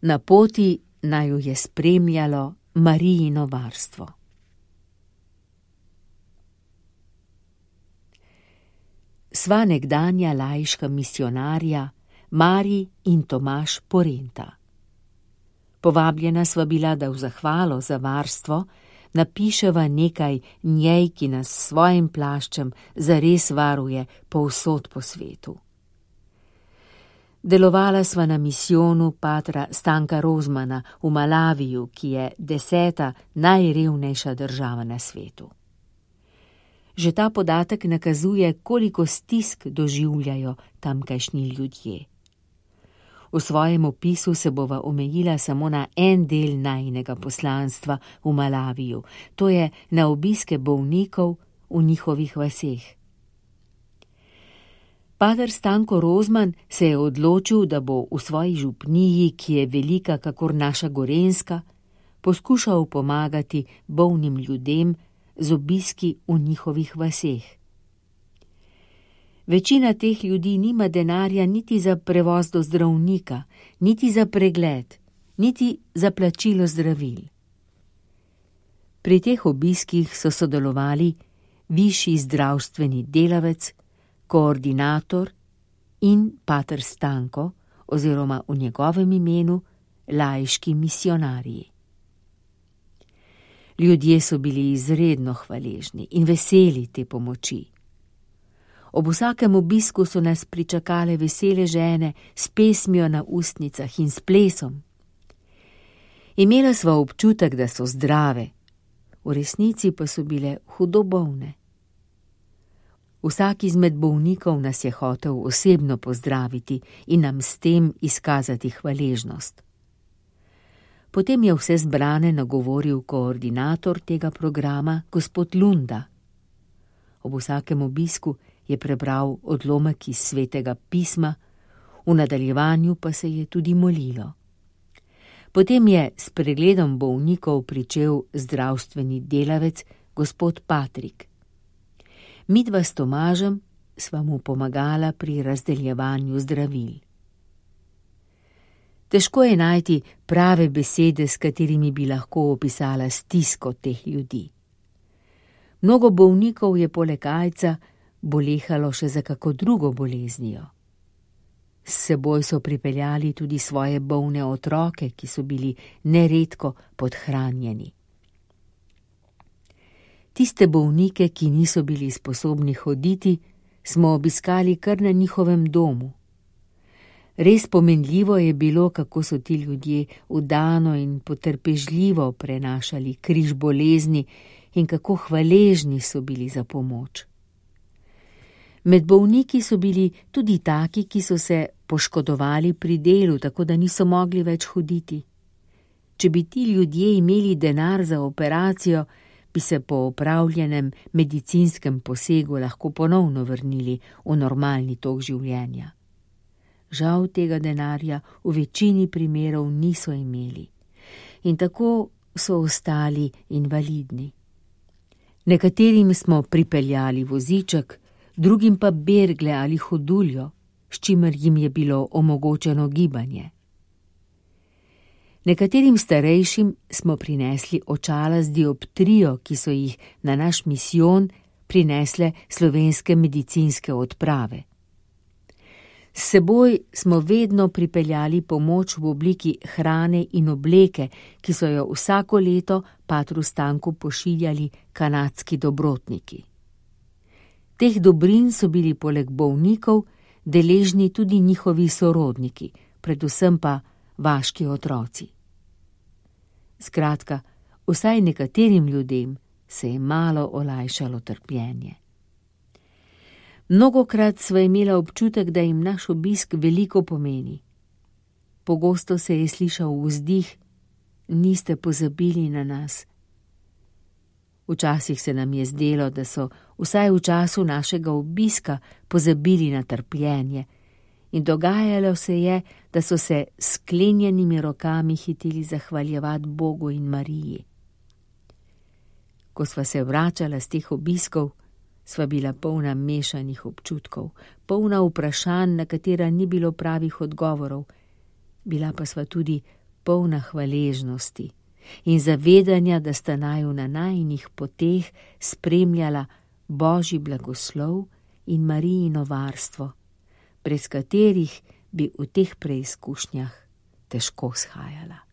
Na poti naj jo je spremljalo Marijino varstvo. Sva nekdanja laiška misionarja Marij in Tomaž Porenta. Povabljena sva bila, da v zahvalo za varstvo napiševa nekaj njej, ki nas s svojim plaščem zares varuje povsod po svetu. Delovala sva na misijonu patra Stanka Rozmana v Malaviju, ki je 10. najrevnejša država na svetu. Že ta podatek nakazuje, koliko stisk doživljajo tamkajšnji ljudje. V svojem opisu se bova omejila samo na en del najinega poslanstva v Malaviju, to je na obiske bolnikov v njihovih vaseh. Pater Stanko Rozman se je odločil, da bo v svoji župniji, ki je velika kakor naša Gorenjska, poskušal pomagati bolnim ljudem z obiski v njihovih vaseh. Večina teh ljudi nima denarja niti za prevoz do zdravnika, niti za pregled, niti za plačilo zdravil. Pri teh obiskih so sodelovali višji zdravstveni delavec, koordinator in pater Stanko oziroma v njegovem imenu laiški misionarji. Ljudje so bili izredno hvaležni in veseli te pomoči. Ob vsakem obisku so nas pričakale vesele žene s pesmijo na ustnicah in s plesom. Imela sva občutek, da so zdrave, v resnici pa so bile hudo bolne. Vsak izmed bolnikov nas je hotel osebno pozdraviti in nam s tem izkazati hvaležnost. Potem je vse zbrane nagovoril koordinator tega programa, gospod Lunda. Ob vsakem obisku je prebral odlomek iz Svetega pisma, v nadaljevanju pa se je tudi molilo. Potem je s pregledom bolnikov pričel zdravstveni delavec, gospod Patrik. Midva s Tomažem sva mu pomagala pri razdeljevanju zdravil. Težko je najti prave besede, s katerimi bi lahko opisala stisko teh ljudi. Mnogo bolnikov je poleg aidsa bolehalo še za kako drugo boleznijo. S seboj so pripeljali tudi svoje bolne otroke, ki so bili neredko podhranjeni. Tiste bolnike, ki niso bili sposobni hoditi, smo obiskali kar na njihovem domu. Res pomenljivo je bilo, kako so ti ljudje vdano in potrpežljivo prenašali križ bolezni in kako hvaležni so bili za pomoč. Med bolniki so bili tudi taki, ki so se poškodovali pri delu, tako da niso mogli več hoditi. Če bi ti ljudje imeli denar za operacijo, bi se po opravljenem medicinskem posegu lahko ponovno vrnili v normalni tok življenja. Žal tega denarja v večini primerov niso imeli in tako so ostali invalidni. Nekaterim smo pripeljali voziček, drugim pa bergle ali hoduljo, s čimer jim je bilo omogočeno gibanje. Nekaterim starejšim smo prinesli očala z dioptrijo, ki so jih na naš misijon prinesle slovenske medicinske odprave. S seboj smo vedno pripeljali pomoč v obliki hrane in obleke, ki so jo vsako leto patru Stanku pošiljali kanadski dobrotniki. Teh dobrin so bili poleg bolnikov deležni tudi njihovi sorodniki, predvsem pa vaški otroci. Skratka, vsaj nekaterim ljudem se je malo olajšalo trpljenje. Mnogokrat sva imela občutek, da jim naš obisk veliko pomeni. Pogosto se je slišal vzdih: niste pozabili na nas. Včasih se nam je zdelo, da so vsaj v času našega obiska pozabili na trpljenje in dogajalo se je, da so se s sklenjenimi rokami hiteli zahvaljevati Bogu in Mariji. Ko sva se vračala z teh obiskov, sva bila polna mešanih občutkov, polna vprašanj, na katera ni bilo pravih odgovorov, bila pa sva tudi polna hvaležnosti in zavedanja, da sta naju na najinih poteh spremljala Božji blagoslov in Marijino varstvo, brez katerih bi v teh preizkušnjah težko shajala.